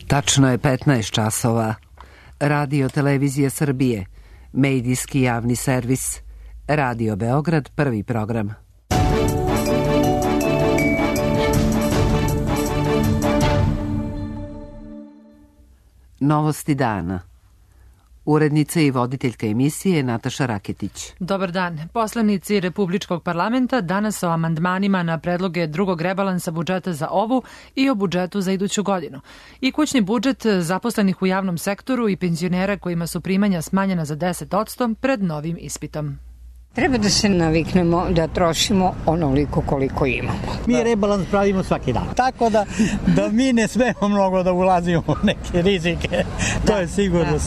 Tačno je 15 časova. Radio Televizija Srbije, medijski javni servis, Radio Beograd, prvi program. Novosti dana. Urednica i voditeljka emisije Nataša Raketić. Dobar dan. Poslanici Republičkog parlamenta danas o amandmanima na predloge drugog rebalansa budžeta za ovu i o budžetu za iduću godinu. I kućni budžet zaposlenih u javnom sektoru i penzionera kojima su primanja smanjena za 10% pred novim ispitom. Treba da se naviknemo da trošimo onoliko koliko imamo. Mi rebalans pravimo svaki dan. Tako da mi ne smemo mnogo da ulazimo u neke rizike. To je sigurno.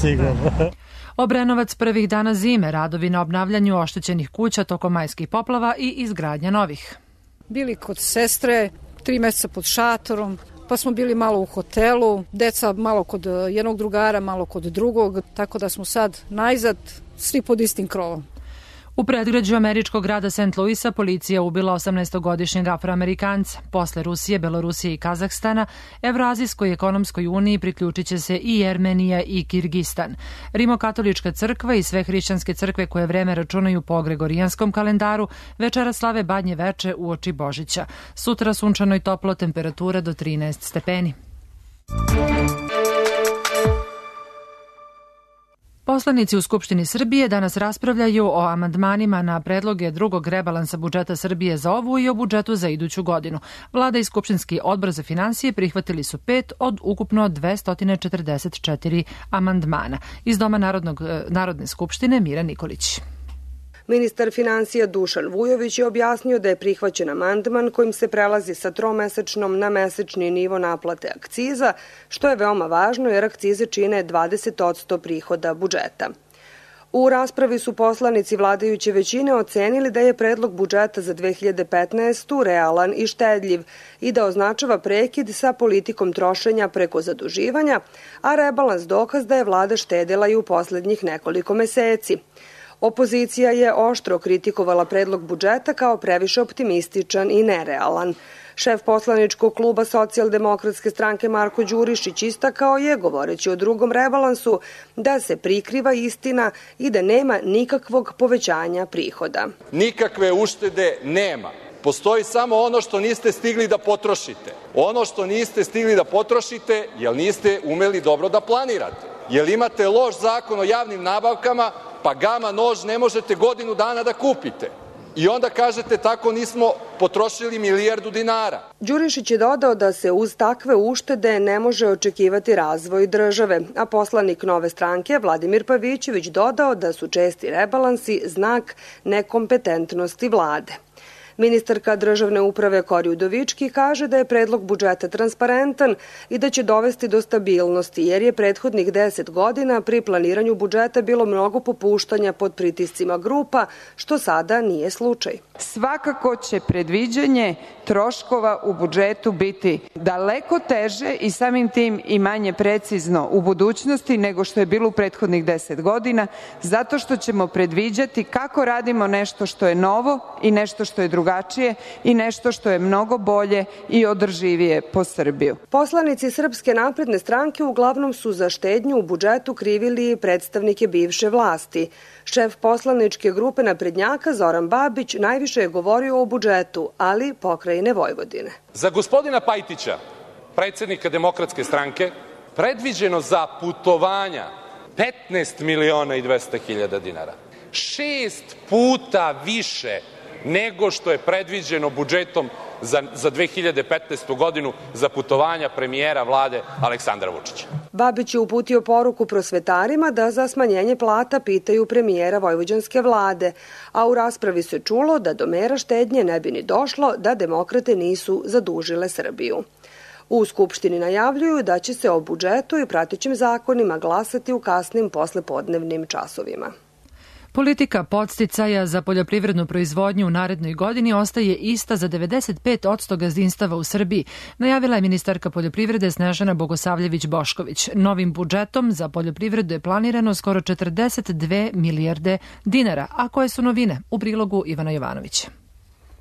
Obrenovac prvih dana zime, radovi na obnavljanju oštećenih kuća tokom majskih poplava i izgradnja novih. Bili kod sestre, 3 meseca pod šatorom, pa smo bili malo u hotelu, deca malo kod jednog drugara, malo kod drugog, tako da smo sad najzad svi pod istim krovom. U predgrađu američkog grada St. Louisa policija ubila 18-godišnjeg Afroamerikanca. Posle Rusije, Belorusije i Kazahstana, Evroazijskoj ekonomskoj uniji priključit će se i Jermenija i Kirgistan. Rimokatolička crkva i sve hrišćanske crkve koje vreme računaju po gregorijanskom kalendaru večera slave Badnje veče uoči Božića. Sutra sunčano i toplo, temperatura do 13 stepeni. Poslanici u Skupštini Srbije danas raspravljaju o amandmanima na predloge drugog rebalansa budžeta Srbije za ovu i o budžetu za iduću godinu. Vlada i Skupštinski odbor za finansije prihvatili su 5 od ukupno 244 amandmana. Iz Doma Narodne skupštine Mira Nikolić. Ministar finansija Dušan Vujović je objasnio da je prihvaćen amandman kojim se prelazi sa tromesečnom na mesečni nivo naplate akciza, što je veoma važno jer akcize čine 20% prihoda budžeta. U raspravi su poslanici vladajuće većine ocenili da je predlog budžeta za 2015. realan i štedljiv i da označava prekid sa politikom trošenja preko zaduživanja, a rebalans dokaz da je vlada štedela i u poslednjih nekoliko meseci. Opozicija je oštro kritikovala predlog budžeta kao previše optimističan i nerealan. Šef poslaničkog kluba Socijaldemokratske stranke Marko Đurišić istakao je, govoreći o drugom rebalansu, da se prikriva istina i da nema nikakvog povećanja prihoda. Nikakve uštede nema. Postoji samo ono što niste stigli da potrošite. Ono što niste stigli da potrošite, jer niste umeli dobro da planirate. Jer imate loš zakon o javnim nabavkama, pa gama nož ne možete godinu dana da kupite. I onda kažete tako nismo potrošili milijardu dinara. Đurišić je dodao da se uz takve uštede ne može očekivati razvoj države, a poslanik Nove stranke Vladimir Pavićević dodao da su česti rebalansi znak nekompetentnosti vlade. Ministarka državne uprave Kori Udovički kaže da je predlog budžeta transparentan i da će dovesti do stabilnosti, jer je prethodnih 10 godina pri planiranju budžeta bilo mnogo popuštanja pod pritiscima grupa, što sada nije slučaj. Svakako će predviđanje troškova u budžetu biti daleko teže i samim tim i manje precizno u budućnosti nego što je bilo u prethodnih 10 godina, zato što ćemo predviđati kako radimo nešto što je novo i nešto što je drugačije i nešto što je mnogo bolje i održivije po Srbiju. Poslanici Srpske napredne stranke uglavnom su za štednju u budžetu krivili predstavnike bivše vlasti. Šef poslaničke grupe naprednjaka Zoran Babić najviše je govorio o budžetu, ali pokrajine Vojvodine. Za gospodina Pajtića, predsednika Demokratske stranke, predviđeno za putovanja 15 miliona i 200 hiljada dinara. 6 puta više nego što je predviđeno budžetom za 2015. godinu za putovanja premijera vlade Aleksandra Vučića. Babić je uputio poruku prosvetarima da za smanjenje plata pitaju premijera vojvođanske vlade, a u raspravi se čulo da do mera štednje ne bi ni došlo da demokrate nisu zadužile Srbiju. U Skupštini najavljuju da će se o budžetu i pratećim zakonima glasati u kasnim poslepodnevnim časovima. Politika podsticaja za poljoprivrednu proizvodnju u narednoj godini ostaje ista za 95% gazdinstava u Srbiji, najavila je ministarka poljoprivrede Snežana Bogosavljević-Bošković. Novim budžetom za poljoprivredu je planirano skoro 42 milijarde dinara, a koje su novine? U prilogu Ivana Jovanovića.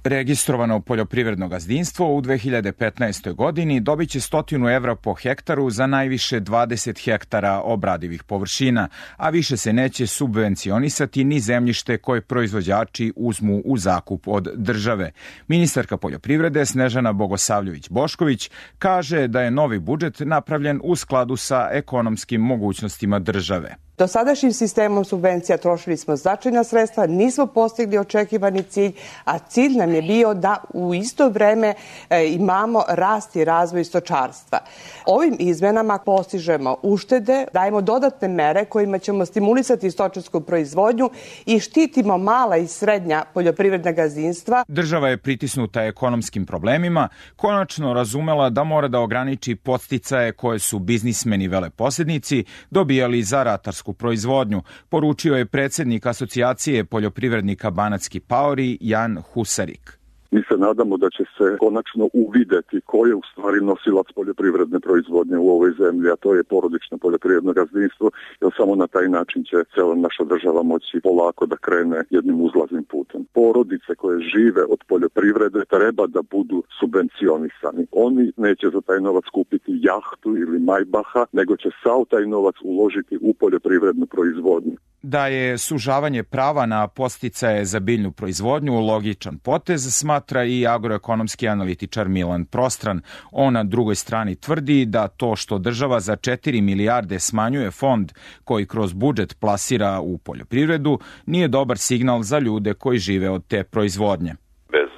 Registrovano poljoprivredno gazdinstvo u 2015. godini dobit će 100 evra po hektaru za najviše 20 hektara obradivih površina, a više se neće subvencionisati ni zemljište koje proizvođači uzmu u zakup od države. Ministarka poljoprivrede Snežana Bogosavljević-Bošković kaže da je novi budžet napravljen u skladu sa ekonomskim mogućnostima države. Dosadašnjim sistemom subvencija trošili smo značajna sredstva, nismo postigli očekivani cilj, a cilj nam je bio da u isto vreme imamo rast i razvoj stočarstva. Ovim izmenama postižemo uštede, dajemo dodatne mere kojima ćemo stimulisati stočarsku proizvodnju i štitimo mala i srednja poljoprivredna gazdinstva. Država je pritisnuta ekonomskim problemima, konačno razumela da mora da ograniči podsticaje koje su biznismeni veleposednici dobijali za ratarsku proizvodnju, poručio je predsjednik Asocijacije poljoprivrednika Banatski paori Jan Husarik. Mi se nadamo da će se konačno uvideti ko je u stvari nosilac poljoprivredne proizvodnje u ovoj zemlji, a to je porodično poljoprivredno gazdinstvo, jer samo na taj način će cela naša država moći polako da krene jednim uzlaznim putem. Porodice koje žive od poljoprivrede treba da budu subvencionisani. Oni neće za taj novac kupiti jahtu ili majbaha, nego će sav taj novac uložiti u poljoprivrednu proizvodnju. Da je sužavanje prava na podsticaje za biljnu proizvodnju logičan potez, smatra i agroekonomski analitičar Milan Prostran. On na drugoj strani tvrdi da to što država za 4 milijarde smanjuje fond koji kroz budžet plasira u poljoprivredu nije dobar signal za ljude koji žive od te proizvodnje. Bez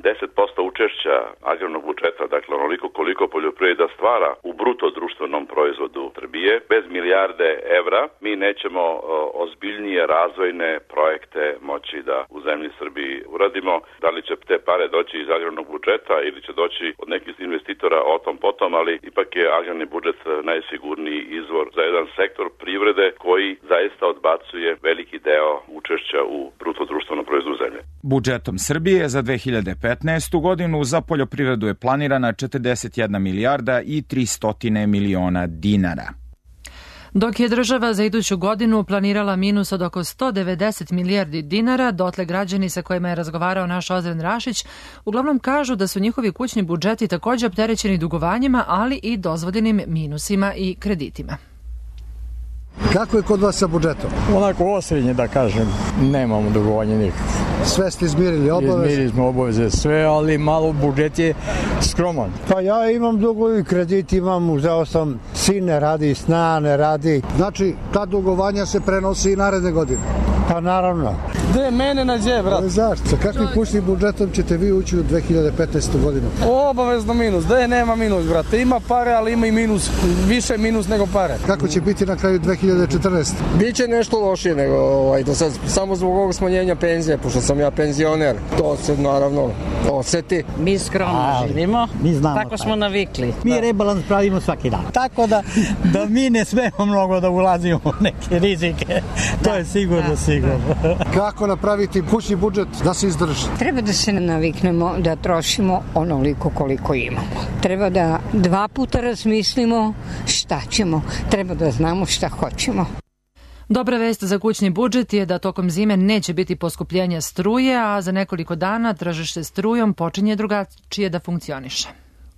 10% učešća agrarnog budžeta, dakle onoliko koliko poljoprivreda stvara u bruto društvenom proizvodu Srbije, bez milijarde evra mi nećemo ozbiljnije razvojne projekte moći da u zemlji Srbiji uradimo. Da li će te pare doći iz agrarnog budžeta ili će doći od nekih investitora o tom potom, ali ipak je agrarni budžet najsigurniji izvor za jedan sektor privrede koji zaista odbacuje veliki deo učešća u bruto društvenom proizvodu zemlje. Budžetom Srbije za 2015. godinu za poljoprivredu je planirana 41 milijarda i 300 miliona dinara. Dok je država za iduću godinu planirala minus od oko 190 milijardi dinara, dotle građani sa kojima je razgovarao naš Ozren Rašić uglavnom kažu da su njihovi kućni budžeti također opterećeni dugovanjima, ali i dozvoljenim minusima i kreditima. Kako je kod vas sa budžetom? Onako osrednje da kažem, nemamo dugovanja nikakve. Sve ste izmirili obaveze? Izmirili smo obaveze sve, ali malo budžet je skroman. Pa ja imam dugovi, kredit imam, uzeo sam, sin ne radi, sna ne radi. Znači, ta dugovanja se prenosi i naredne godine? Pa naravno. Gde mene nađe, brat? Zašto? Sa kakvim kućnim budžetom ćete vi ući u 2015. godinu? Obavezno minus. Gde nema minus, brate? Ima pare, ali ima i minus. Više minus nego pare. Kako će biti na kraju 2014? Biće nešto lošije nego do sad, samo zbog ovog smanjenja penzije, pošto sam ja penzioner. To se naravno oseti. Mi skromno živimo, tako smo navikli. Mi rebalans pravimo svaki dan. Tako da mi ne smemo mnogo da ulazimo u neke rizike. To je sigurno. Kako napraviti kućni budžet da se izdrži? Treba da se naviknemo da trošimo onoliko koliko imamo. Treba da 2 puta razmislimo šta ćemo. Treba da znamo šta hoćemo. Dobra vest za kućni budžet je da tokom zime neće biti poskupljenja struje, a za nekoliko dana tržište strujom počinje drugačije da funkcioniše.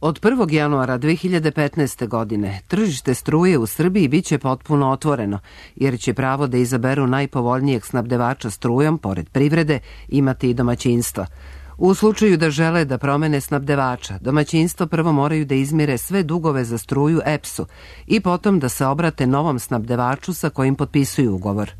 Od 1. januara 2015. godine tržište struje u Srbiji biće potpuno otvoreno, jer će pravo da izaberu najpovoljnijeg snabdevača strujom, pored privrede, imati i domaćinstva. U slučaju da žele da promene snabdevača, domaćinstvo prvo moraju da izmire sve dugove za struju EPS-u i potom da se obrate novom snabdevaču sa kojim potpisuju ugovor.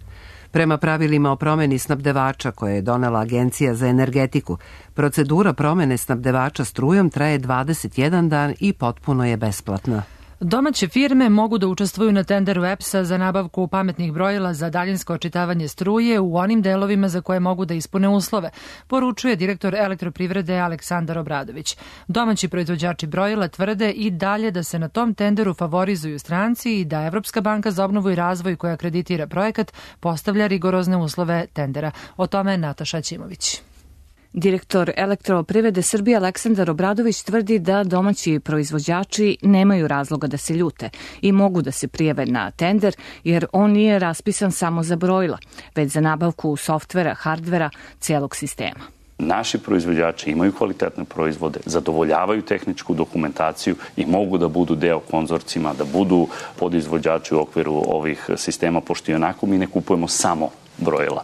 Prema pravilima o promeni snabdevača koje je donela Agencija za energetiku, procedura promene snabdevača strujom traje 21 dan i potpuno je besplatna. Domaće firme mogu da učestvuju na tenderu EPS-a za nabavku pametnih brojila za daljinsko očitavanje struje u onim delovima za koje mogu da ispune uslove, poručuje direktor Elektroprivrede Aleksandar Obradović. Domaći proizvođači brojila tvrde i dalje da se na tom tenderu favorizuju stranci i da Evropska banka za obnovu i razvoj koja kreditira projekat postavlja rigorozne uslove tendera. O tome Nataša Ćimović. Direktor Elektroprivrede Srbije Aleksandar Obradović tvrdi da domaći proizvođači nemaju razloga da se ljute i mogu da se prijave na tender, jer on nije raspisan samo za brojila, već za nabavku softvera, hardvera, cijelog sistema. Naši proizvođači imaju kvalitetne proizvode, zadovoljavaju tehničku dokumentaciju i mogu da budu deo konzorcijima, da budu podizvođači u okviru ovih sistema, pošto i onako mi ne kupujemo samo brojila.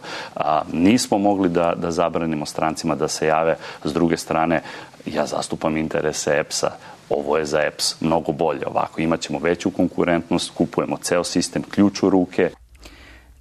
Nismo mogli da zabranimo strancima da se jave. S druge strane, ja zastupam interese EPS-a. Ovo je za EPS mnogo bolje. Ovako imaćemo veću konkurentnost, kupujemo ceo sistem, ključ u ruke.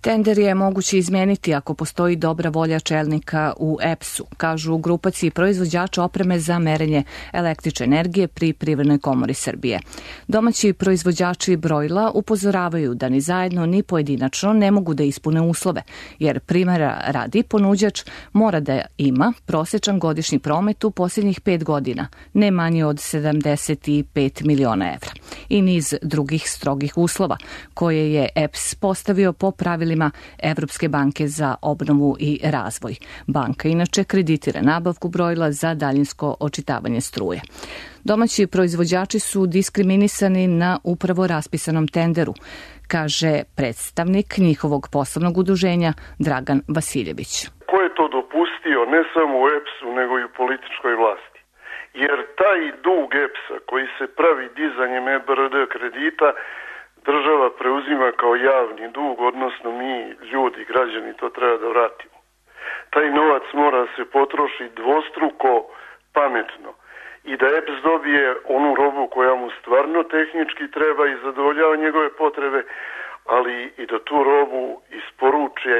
Tender je moguće izmeniti ako postoji dobra volja čelnika u EPS-u, kažu u grupaciji proizvođača opreme za merenje električne energije pri Privrednoj komori Srbije. Domaći proizvođači brojila upozoravaju da ni zajedno ni pojedinačno ne mogu da ispune uslove, jer primjera radi ponuđač mora da ima prosječan godišnji promet u posljednjih 5 godina, ne manje od 75 miliona evra, i niz drugih strogih uslova koje je EPS postavio po pravilima Evropske banke za obnovu i razvoj. Banka inače kreditira nabavku brojila za daljinsko očitavanje struje. Domaći proizvođači su diskriminisani na upravo raspisanom tenderu, kaže predstavnik njihovog poslovnog udruženja Dragan Vasiljević. Ko je to dopustio ne samo u EPS-u nego i u političkoj vlasti? Jer taj dug EPS-a koji se pravi dizanjem EBRD kredita država preuzima kao javni dug, odnosno mi, ljudi, građani, to treba da vratimo. Taj novac mora se potrošiti dvostruko pametno i da EPS dobije onu robu koja mu stvarno tehnički treba i zadovoljava njegove potrebe, ali i da tu robu isporuče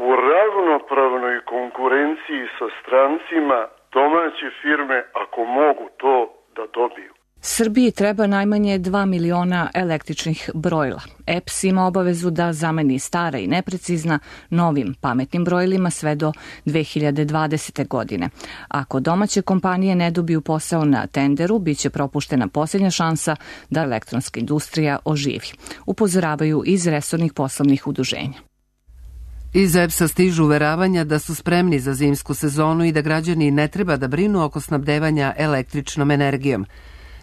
u ravnopravnoj konkurenciji sa strancima domaće firme, ako mogu to da dobiju. Srbiji treba najmanje 2 miliona električnih brojila. EPS ima obavezu da zameni stara i neprecizna novim pametnim brojilima sve do 2020. godine. Ako domaće kompanije ne dobiju posao na tenderu, biće propuštena posljednja šansa da elektronska industrija oživi, upozoravaju iz resornih poslovnih udruženja. Iz EPS-a stižu uveravanja da su spremni za zimsku sezonu i da građani ne treba da brinu oko snabdevanja električnom energijom.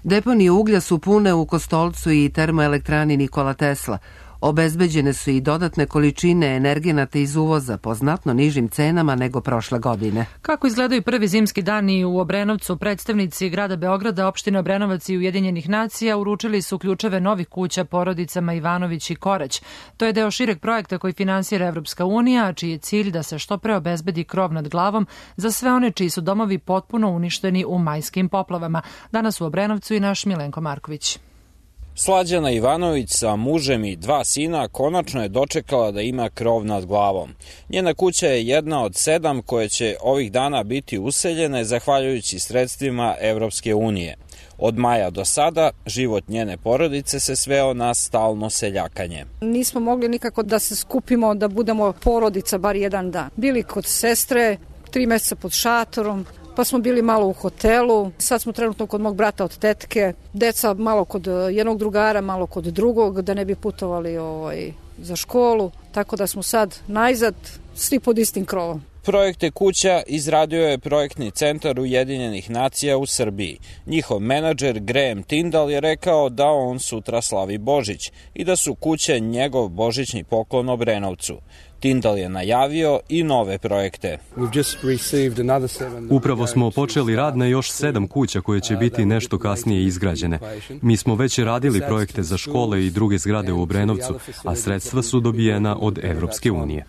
Deponije uglja su pune u Kostolcu i termoelektrani Nikola Tesla. Obezbeđene su i dodatne količine energenata iz uvoza po znatno nižim cenama nego prošle godine. Kako izgledaju prvi zimski dani u Obrenovcu, predstavnici grada Beograda, opštine Obrenovac i Ujedinjenih nacija uručili su ključeve novih kuća porodicama Ivanović i Korać. To je deo šireg projekta koji finansira Evropska unija, a čiji je cilj da se što pre obezbedi krov nad glavom za sve one čiji su domovi potpuno uništeni u majskim poplavama. Danas u Obrenovcu i naš Milenko Marković. Slađana Ivanović sa mužem i 2 sina konačno je dočekala da ima krov nad glavom. Njena kuća je jedna od 7 koje će ovih dana biti useljene zahvaljujući sredstvima Evropske unije. Od maja do sada život njene porodice se sveo na stalno seljakanje. Nismo mogli nikako da se skupimo, da budemo porodica bar jedan dan. Bili kod sestre, 3 meseca pod šatorom, pa smo bili malo u hotelu, sad smo trenutno kod mog brata od tetke, deca malo kod jednog drugara, malo kod drugog, da ne bi putovali za školu, tako da smo sad najzad svi pod istim krovom. Projekte kuća izradio je projektni centar Ujedinjenih nacija u Srbiji. Njihov menadžer Graham Tyndall je rekao da on sutra slavi Božić i da su kuće njegov božićni poklon Obrenovcu. Tyndall je najavio i nove projekte. Upravo smo počeli rad na još 7 kuća koje će biti nešto kasnije izgrađene. Mi smo već radili projekte za škole i druge zgrade u Obrenovcu, a sredstva su dobijena od Evropske unije.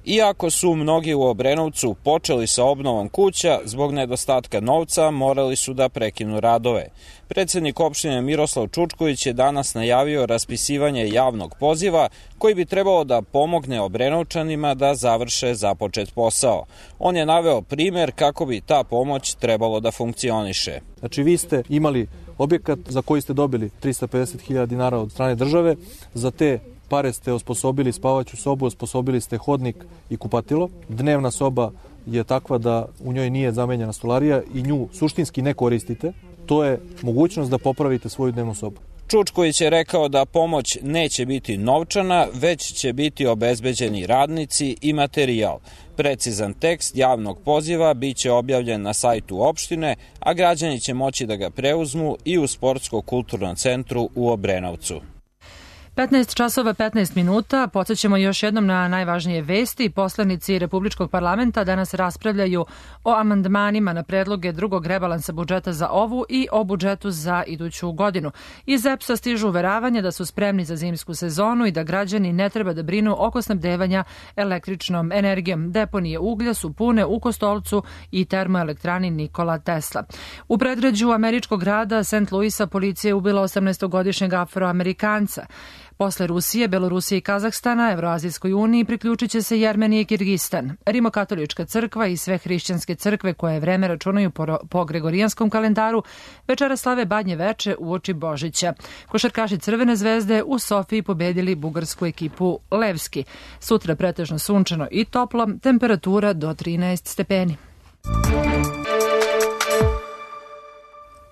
Iako su mnogi u Obrenovcu počeli sa obnovom kuća, zbog nedostatka novca morali su da prekinu radove. Predsednik opštine Miroslav Čučković je danas najavio raspisivanje javnog poziva koji bi trebalo da pomogne Obrenovčanima da završe započet posao. On je naveo primer kako bi ta pomoć trebalo da funkcioniše. Znači vi ste imali objekat za koji ste dobili 350.000 dinara od strane države, za te pare ste osposobili spavaću sobu, osposobili ste hodnik i kupatilo. Dnevna soba je takva da u njoj nije zamenjena stolarija i nju suštinski ne koristite. To je mogućnost da popravite svoju dnevnu sobu. Čučković je rekao da pomoć neće biti novčana, već će biti obezbeđeni radnici i materijal. Precizan tekst javnog poziva biće objavljen na sajtu opštine, a građani će moći da ga preuzmu i u Sportsko-kulturnom centru u Obrenovcu. 15 časova 15 minuta. Podsjećamo još jednom na najvažnije vesti. Poslanici Republičkog parlamenta danas raspravljaju o amandmanima na predloge drugog rebalansa budžeta za ovu i o budžetu za iduću godinu. Iz EPS-a stižu uveravanja da su spremni za zimsku sezonu i da građani ne treba da brinu oko snabdevanja električnom energijom. Deponije uglja su pune u Kostolcu i termoelektrani Nikola Tesla. U predgrađu američkog grada St. Louisa policija je ubila 18-godišnjeg Afroamerikanca. Posle Rusije, Belorusije i Kazahstana, Evroazijskoj uniji priključit će se i Armenija i Kirgistan. Rimokatolička crkva i sve hrišćanske crkve koje vreme računaju po gregorijanskom kalendaru večera slave Badnje veče uoči Božića. Košarkaši Crvene zvezde u Sofiji pobedili bugarsku ekipu Levski. Sutra pretežno sunčano i toplo, temperatura do 13 stepeni.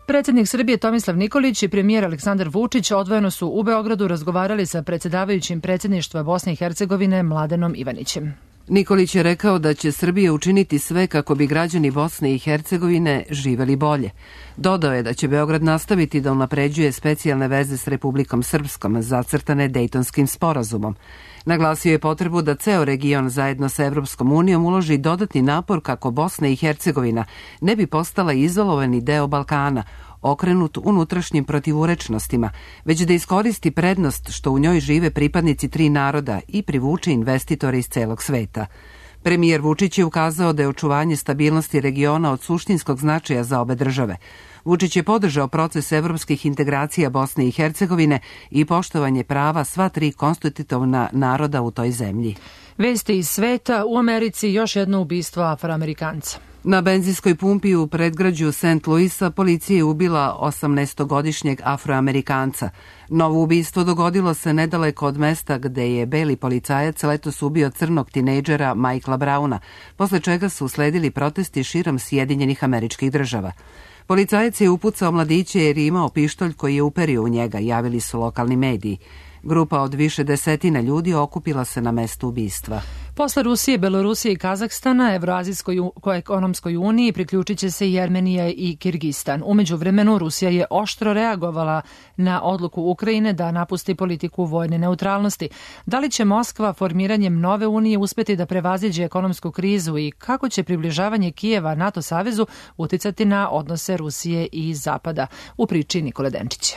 Predsjednik Srbije Tomislav Nikolić i premijer Aleksandar Vučić odvojeno su u Beogradu razgovarali sa predsjedavajućim predsjedništva Bosne i Hercegovine Mladenom Ivanićem. Nikolić je rekao da će Srbija učiniti sve kako bi građani Bosne i Hercegovine živeli bolje. Dodao je da će Beograd nastaviti da unapređuje specijalne veze s Republikom Srpskom zacrtane Dejtonskim sporazumom. Naglasio je potrebu da ceo region zajedno sa Evropskom unijom uloži dodatni napor kako Bosna i Hercegovina ne bi postala izolovani deo Balkana, okrenut unutrašnjim protivurečnostima, već da iskoristi prednost što u njoj žive pripadnici tri naroda i privuče investitore iz celog sveta. Premijer Vučić je ukazao da je očuvanje stabilnosti regiona od suštinskog značaja za obe države. Vučić je podržao proces evropskih integracija Bosne i Hercegovine i poštovanje prava sva tri konstitutivna naroda u toj zemlji. Vesti iz sveta, u Americi još jedno ubistvo Afroamerikanca. Na benzinskoj pumpi u predgrađu St. Louisa policija je ubila 18-godišnjeg Afroamerikanca. Novo ubistvo dogodilo se nedaleko od mesta gde je beli policajac letos ubio crnog tinejdžera Michaela Browna, posle čega su usledili protesti širom Sjedinjenih Američkih Država. Policajac je upucao mladiće jer je imao pištolj koji je uperio u njega, javili su lokalni mediji. Grupa od više desetina ljudi okupila se na mestu ubistva. Posle Rusije, Belorusije i Kazahstana, Evroazijskoj ekonomskoj uniji priključit će se i Armenija i Kirgistan. U međuvremenu Rusija je oštro reagovala na odluku Ukrajine da napusti politiku vojne neutralnosti. Da li će Moskva formiranjem nove unije uspeti da prevaziđe ekonomsku krizu i kako će približavanje Kijeva NATO savezu uticati na odnose Rusije i Zapada? U priči Nikole Denčića.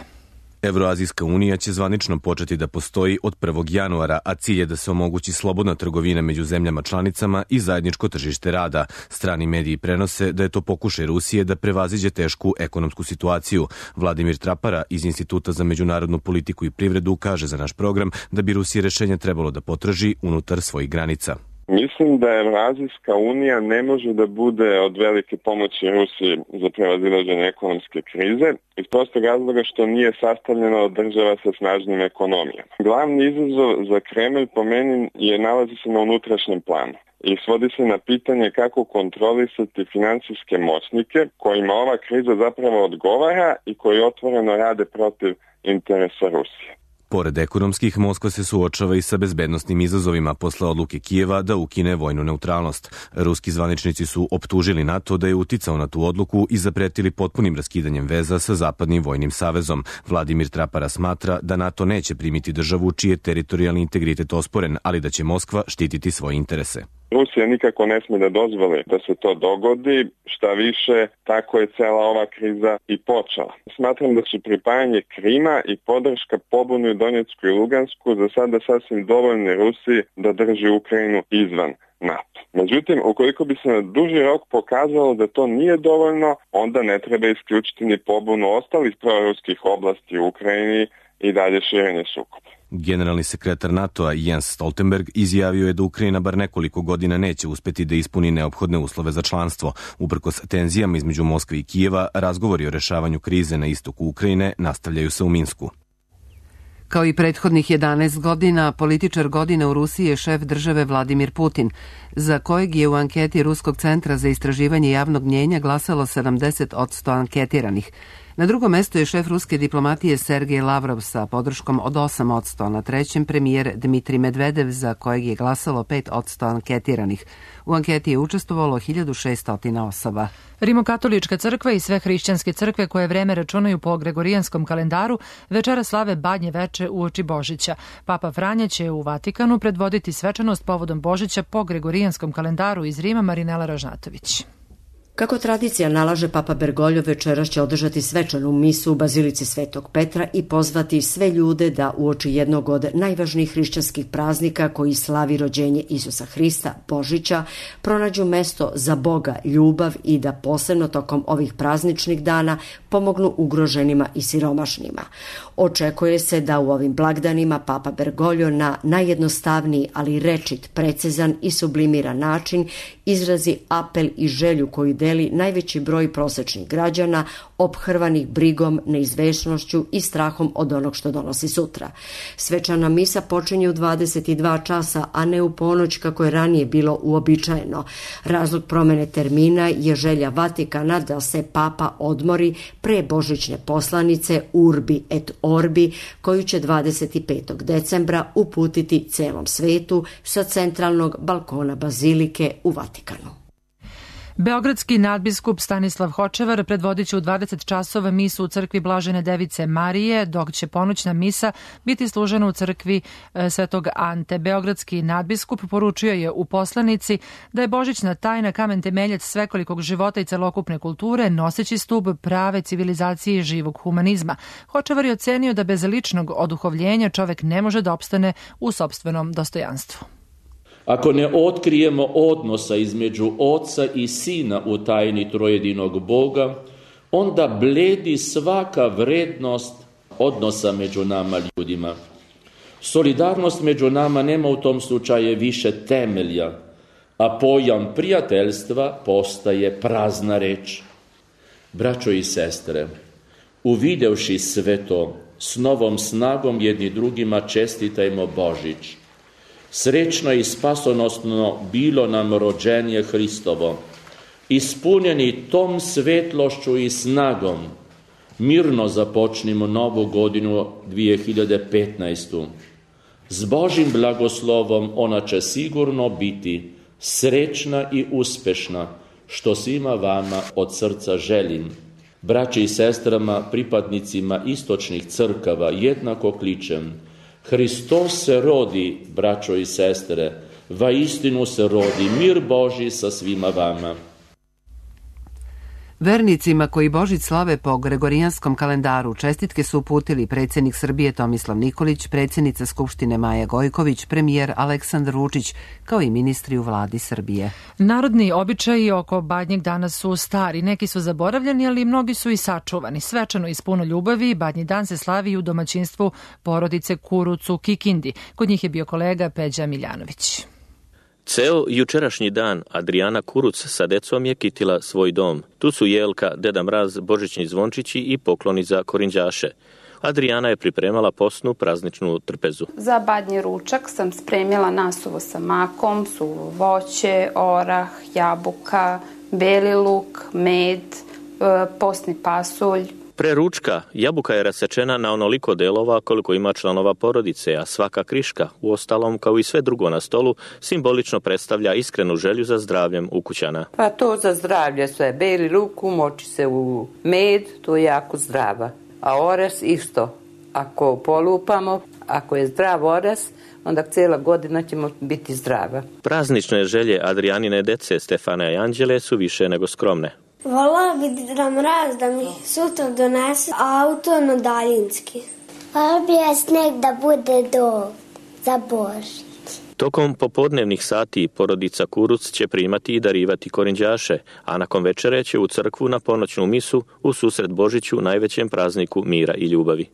Evroazijska unija će zvanično početi da postoji od 1. januara, a cilj je da se omogući slobodna trgovina među zemljama članicama i zajedničko tržište rada. Strani mediji prenose da je to pokušaj Rusije da prevaziđe tešku ekonomsku situaciju. Vladimir Trapara iz Instituta za međunarodnu politiku i privredu kaže za naš program da bi Rusiji rešenje trebalo da potraži unutar svojih granica. Mislim da Evroazijska unija ne može da bude od velike pomoći Rusiji za prevazilaženje ekonomske krize iz prostog razloga što nije sastavljena od država sa snažnim ekonomijama. Glavni izazov za Kremlj po meni nalazi se na unutrašnjem planu i svodi se na pitanje kako kontrolisati finansijske moćnike kojima ova kriza zapravo odgovara i koji otvoreno rade protiv interesa Rusije. Pored ekonomskih, Moskva se suočava i sa bezbednosnim izazovima posle odluke Kijeva da ukine vojnu neutralnost. Ruski zvaničnici su optužili NATO da je uticao na tu odluku i zapretili potpunim raskidanjem veza sa Zapadnim vojnim savezom. Vladimir Trapara smatra da NATO neće primiti državu čiji je teritorijalni integritet osporen, ali da će Moskva štititi svoje interese. Rusija nikako ne sme da dozvoli da se to dogodi, šta više, tako je cela ova kriza i počela. Smatram da su pripajanje Krima i podrška pobuni u Donjecku i Lugansku za sada sasvim dovoljne Rusiji da drži Ukrajinu izvan NATO. Međutim, ukoliko bi se na duži rok pokazalo da to nije dovoljno, onda ne treba isključiti ni pobunu ostalih proruskih oblasti u Ukrajini i dalje širenje sukoba. Generalni sekretar NATO-a Jens Stoltenberg izjavio je da Ukrajina bar nekoliko godina neće uspeti da ispuni neophodne uslove za članstvo. Uprkos tenzijama između Moskve i Kijeva, razgovori o rešavanju krize na istoku Ukrajine nastavljaju se u Minsku. Kao i prethodnih 11 godina, političar godine u Rusiji je šef države Vladimir Putin, za kojeg je u anketi Ruskog centra za istraživanje javnog mnjenja glasalo 70% anketiranih. Na drugom mestu je šef ruske diplomatije Sergej Lavrov sa podrškom od 8%, a na trećem premijer Dmitrij Medvedev, za kojeg je glasalo 5% anketiranih. U anketi je učestvovalo 1600 osoba. Rimokatolička crkva i sve hrišćanske crkve koje vreme računaju po gregorijanskom kalendaru večera slave Badnje veče uoči Božića. Papa Franja će u Vatikanu predvoditi svečanost povodom Božića po gregorijanskom kalendaru. Iz Rima Marinela Ražnatović. Kako tradicija nalaže, Papa Bergoglio večeras će održati svečanu misu u Bazilici Svetog Petra i pozvati sve ljude da uoči jednog od najvažnijih hrišćanskih praznika koji slavi rođenje Isusa Hrista, Božića, pronađu mesto za Boga, ljubav i da posebno tokom ovih prazničnih dana pomognu ugroženima i siromašnima. Očekuje se da u ovim blagdanima Papa Bergoglio na najjednostavniji, ali rečit, precizan i sublimiran način izrazi apel i želju koju deli najveći broj prosečnih građana ophrvanih brigom, neizvesnošću i strahom od onog što donosi sutra. Svečana misa počinje u 22 časa, a ne u ponoć kako je ranije bilo uobičajeno. Razlog promene termina je želja Vatikana da se Papa odmori pre božićne poslanice Urbi et Orbi, koju će 25. decembra uputiti celom svetu sa centralnog balkona bazilike u Vatikanu. Beogradski nadbiskup Stanislav Hočevar predvodit će u 20 časova misu u crkvi Blažene Device Marije, dok će ponoćna misa biti služena u crkvi Svetog Ante. Beogradski nadbiskup poručio je u poslanici da je božićna tajna kamen temeljac svekolikog života i celokupne kulture, noseći stub prave civilizacije i živog humanizma. Hočevar je ocenio da bez ličnog oduhovljenja čovek ne može da opstane u sopstvenom dostojanstvu. Ako ne otkrijemo odnosa između Oca i Sina u tajni trojedinog Boga, onda bledi svaka vrednost odnosa među nama ljudima. Solidarnost među nama nema u tom slučaju više temelja, a pojam prijateljstva postaje prazna reč. Braćo i sestre, uvidevši sve to, s novom snagom jedni drugima čestitajmo Božić. Srećno i spasonosno bilo nam rođenje Hristovo. Ispunjeni tom svetlošću i snagom, mirno započnimo novu godinu 2015. S Božim blagoslovom ona će sigurno biti srećna i uspešna, što svima vama od srca želim. Braći i sestrama, pripadnicima istočnih crkava jednako kličem: Hristos se rodi, braćo i sestre, vaistinu se rodi, mir Božji sa svima vama. Vernicima koji Božić slave po gregorijanskom kalendaru čestitke su uputili predsjednik Srbije Tomislav Nikolić, predsjednica Skupštine Maja Gojković, premijer Aleksandar Vučić, kao i ministri u vladi Srbije. Narodni običaji oko Badnjeg dana su stari, neki su zaboravljeni, ali mnogi su i sačuvani. Svečano i s puno ljubavi, Badnji dan se slavi u domaćinstvu porodice Kuruc u Kikindi. Kod njih je bio kolega Peđa Miljanović. Ceo jučerašnji dan Adrijana Kuruc sa decom je kitila svoj dom. Tu su Jelka, Deda Mraz, božićni zvončići i pokloni za korinđaše. Adrijana je pripremala posnu prazničnu trpezu. Za badnji ručak sam spremila nasuvo sa makom, suvo voće, orah, jabuka, beli luk, med, posni pasulj. Pre ručka jabuka je rasečena na onoliko delova koliko ima članova porodice, a svaka kriška, uostalom kao i sve drugo na stolu, simbolično predstavlja iskrenu želju za zdravljem ukućana. Pa to za zdravlje sve. Beli luk umoči se u med, to je jako zdrava. A oras isto. Ako polupamo, ako je zdrav oras, onda cijela godina ćemo biti zdrava. Praznične želje Adrijanine dece Stefana i Anđele su više nego skromne. Volala bi Deda Mraz da mi sutra donese auto na daljinski. Volala bi ja sneg da bude za Božić. Tokom popodnevnih sati porodica Kuruc će primati i darivati korinđaše, a nakon večere će u crkvu na ponoćnu misu u susret Božiću, najvećem prazniku mira i ljubavi.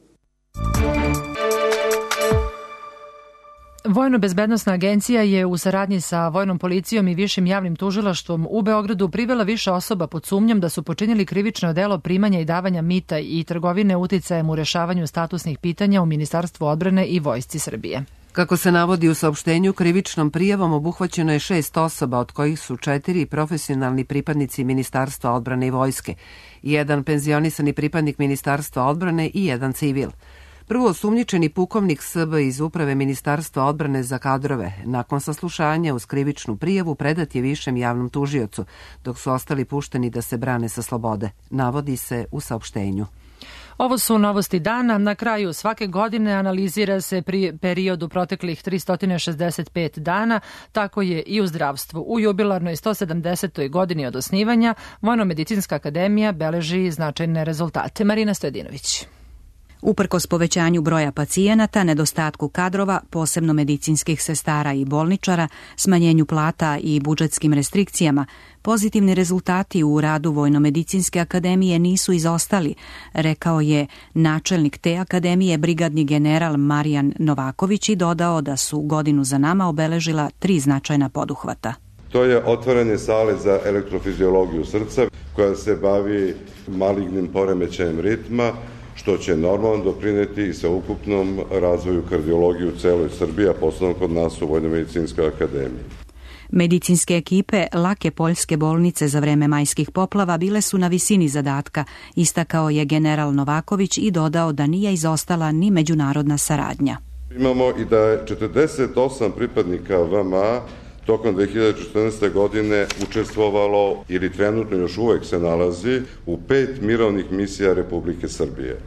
Vojno-bezbednosna agencija je u saradnji sa Vojnom policijom i Višim javnim tužilaštvom u Beogradu privela više osoba pod sumnjom da su počinili krivično delo primanja i davanja mita i trgovine uticajem u rešavanju statusnih pitanja u Ministarstvu odbrane i Vojsci Srbije. Kako se navodi u saopštenju, krivičnom prijavom obuhvaćeno je 6 osoba, od kojih su 4 profesionalni pripadnici Ministarstva odbrane i vojske, 1 penzionisani pripadnik Ministarstva odbrane i 1 civil. Prvo osumnjičeni pukovnik SB iz Uprave Ministarstva odbrane za kadrove, nakon saslušanja uz krivičnu prijavu predat je višem javnom tužiocu, dok su ostali pušteni da se brane sa slobode, navodi se u saopštenju. Ovo su novosti dana. Na kraju svake godine analizira se period u proteklih 365 dana, tako je i u zdravstvu. U jubilarnoj 170. godini od osnivanja Vojno-medicinska akademija beleži značajne rezultate. Marina Stojadinović. Uprkos povećanju broja pacijenata, nedostatku kadrova, posebno medicinskih sestara i bolničara, smanjenju plata i budžetskim restrikcijama, pozitivni rezultati u radu Vojno-medicinske akademije nisu izostali, rekao je načelnik te akademije, brigadni general Marijan Novaković, i dodao da su godinu za nama obeležila 3 značajna poduhvata. To je otvaranje sale za elektrofiziologiju srca, koja se bavi malignim poremećajem ritma, što će normalno doprineti i sa ukupnom razvoju kardiologije u celoj Srbiji, a posebno kod nas u Vojno-medicinskoj akademiji. Medicinske ekipe lake poljske bolnice za vreme majskih poplava bile su na visini zadatka, istakao je general Novaković i dodao da nije izostala ni međunarodna saradnja. Imamo i da je 48 pripadnika VMA tokom 2014. godine učestvovalo ili trenutno još uvek se nalazi u 5 mirovnih misija Republike Srbije.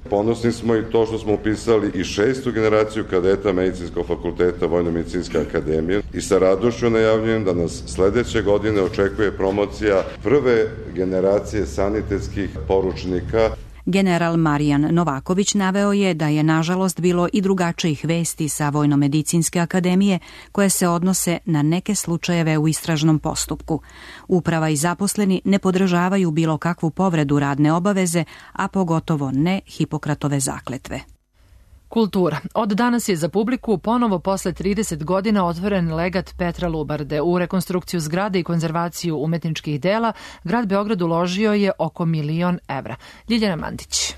Ponosni smo i to što smo upisali i 6. generaciju kadeta Medicinskog fakulteta Vojno-medicinske akademije i sa radošću najavljujem da nas sledeće godine očekuje promocija prve generacije sanitetskih poručnika. General Marijan Novaković naveo je da je nažalost bilo i drugačijih vesti sa Vojno-medicinske akademije koje se odnose na neke slučajeve u istražnom postupku. Uprava i zaposleni ne podržavaju bilo kakvu povredu radne obaveze, a pogotovo ne Hipokratove zakletve. Kultura. Od danas je za publiku ponovo posle 30 godina otvoren legat Petra Lubarde. U rekonstrukciju zgrade i konzervaciju umetničkih dela grad Beograd uložio je oko 1 milion evra. Ljiljana Mandić.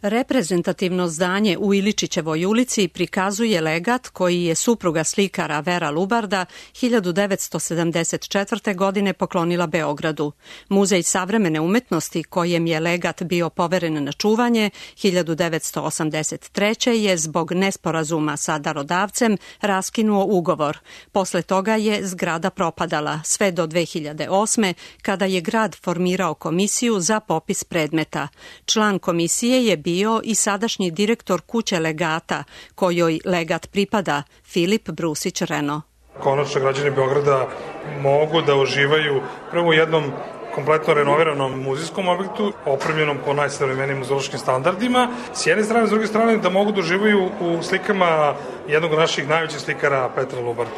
Reprezentativno zdanje u Iličićevoj ulici prikazuje legat koji je supruga slikara Vera Lubarda 1974. godine poklonila Beogradu. Muzej savremene umetnosti, kojem je legat bio poveren na čuvanje, 1983. je zbog nesporazuma sa darodavcem raskinuo ugovor. Posle toga je zgrada propadala, sve do 2008. kada je grad formirao komisiju za popis predmeta. Član komisije je bio i sadašnji direktor kuće legata, kojoj legat pripada, Filip Brusić-Reno. Konačno građani Beograda mogu da uživaju prvo u jednom kompletno renoviranom muzejskom objektu, opremljenom po najsavremenijim muzeološkim standardima. S jedne strane, s druge strane, da mogu da uživaju u slikama jednog od naših najvećih slikara, Petra Lubarda.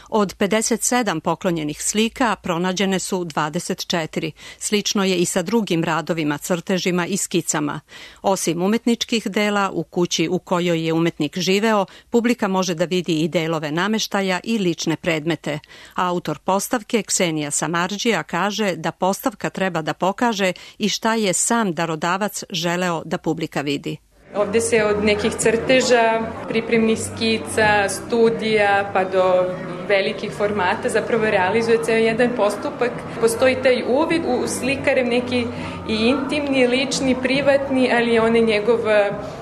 Od 57 poklonjenih slika pronađene su 24. Slično je i sa drugim radovima, crtežima i skicama. Osim umetničkih dela, u kući u kojoj je umetnik živeo, publika može da vidi i delove nameštaja i lične predmete. Autor postavke, Ksenija Samardžija, kaže da postavka treba da pokaže i šta je sam darodavac želeo da publika vidi. Ovde se od nekih crteža, pripremnih skica, studija pa do velikih formata zapravo realizuje ceo jedan postupak. Postoji taj uvid u slikarem, neki i intimni, lični, privatni, ali on je njegov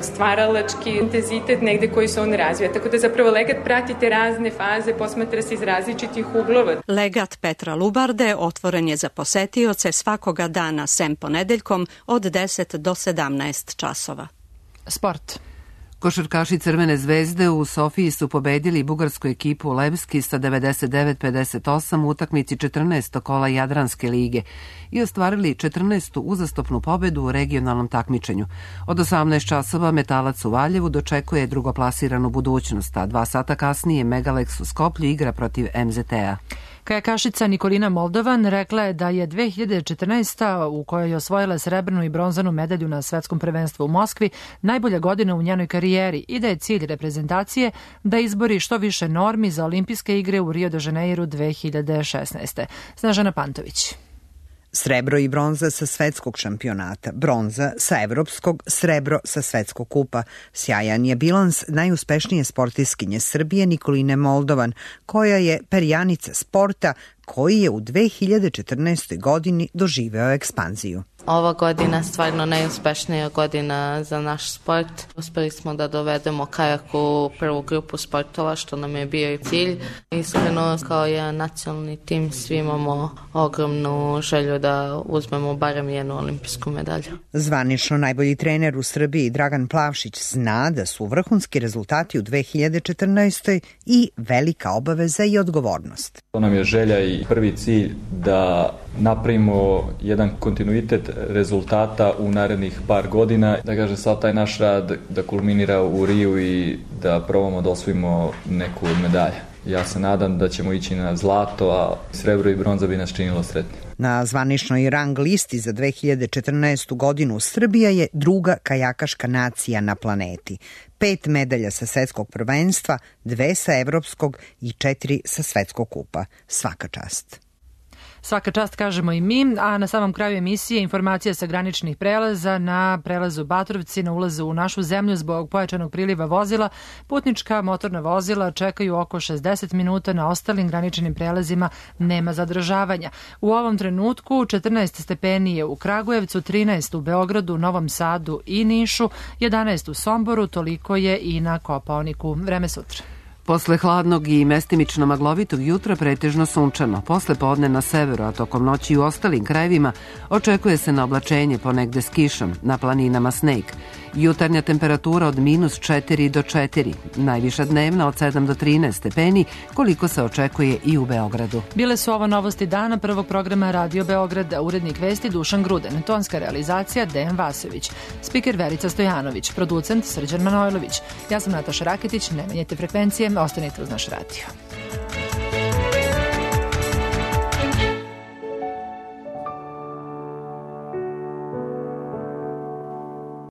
stvaralački intenzitet negde koji se on razvija. Tako da zapravo legat prati te razne faze, posmatra se iz različitih uglova. Legat Petra Lubarde otvoren je za posetioce svakoga dana sem ponedeljkom od 10 do 17 časova. Sport. Košarkaši Crvene zvezde u Sofiji su pobedili bugarsku ekipu Levski sa 99-58 u utakmici 14. kola Jadranske lige i ostvarili 14. uzastopnu pobedu u regionalnom takmičenju. Od 18 časova Metalac u Valjevu dočekuje drugoplasiranu budućnost, a 2 sata kasnije Megalex u Skoplju igra protiv MZT-a. Kajakašica Nikolina Moldovan rekla je da je 2014. u kojoj je osvojila srebrnu i bronzanu medalju na svetskom prvenstvu u Moskvi najbolja godina u njenoj karijeri i da je cilj reprezentacije da izbori što više normi za olimpijske igre u Rio de Janeiru 2016. Snežana Pantović. Srebro i bronza sa svetskog šampionata, bronza sa evropskog, srebro sa svetskog kupa. Sjajan je bilans najuspešnije sportiskinje Srbije Nikoline Moldovan, koja je perjanica sporta koji je u 2014. godini doživeo ekspanziju. Ova godina stvarno najuspešnija godina za naš sport. Uspeli smo da dovedemo kajak u prvu grupu sportova, što nam je bio i cilj. Iskreno, kao jedan nacionalni tim, svi imamo ogromnu želju da uzmemo barem jednu olimpijsku medalju. Zvanično najbolji trener u Srbiji Dragan Plavšić zna da su vrhunski rezultati u 2014. i velika obaveza i odgovornost. To nam je želja i prvi cilj da napravimo jedan kontinuitet rezultata u narednih par godina, da kaže sad taj naš rad da kulminira u Riju i da probamo da osvojimo neku od medalja. Ja se nadam da ćemo ići na zlato, a srebro i bronza bi nas činilo sretni. Na zvaničnoj rang listi za 2014. godinu Srbija je druga kajakaška nacija na planeti. 5 medalja sa svetskog prvenstva, 2 sa evropskog i 4 sa svetskog kupa. Svaka čast. Svaka čast kažemo i mi, a na samom kraju emisije informacija sa graničnih prelaza na prelazu Batrovci na ulazu u našu zemlju zbog pojačanog priliva vozila. Putnička motorna vozila čekaju oko 60 minuta, na ostalim graničnim prelazima nema zadržavanja. U ovom trenutku 14 stepeni je u Kragujevcu, 13 u Beogradu, Novom Sadu i Nišu, 11 u Somboru, toliko je i na Kopaoniku. Vreme sutra. Posle hladnog i mestimično maglovitog jutra pretežno sunčano. Posle podne na severu, a tokom noći u ostalim krajevima očekuje se na oblačenje ponegde s kišom, na planinama sneg. Jutarnja temperatura od -4 do 4, najviša dnevna od 7 do 13 stepeni, koliko se očekuje i u Beogradu. Bile su ovo novosti dana prvog programa Radio Beograda, urednik vesti Dušan Gruden, tonska realizacija Dejan Vasović, spiker Verica Stojanović, producent Srđan Manojlović. Ja sam Nataša Raketić, ne menjajte frekvencije, ostanite uz naš radio.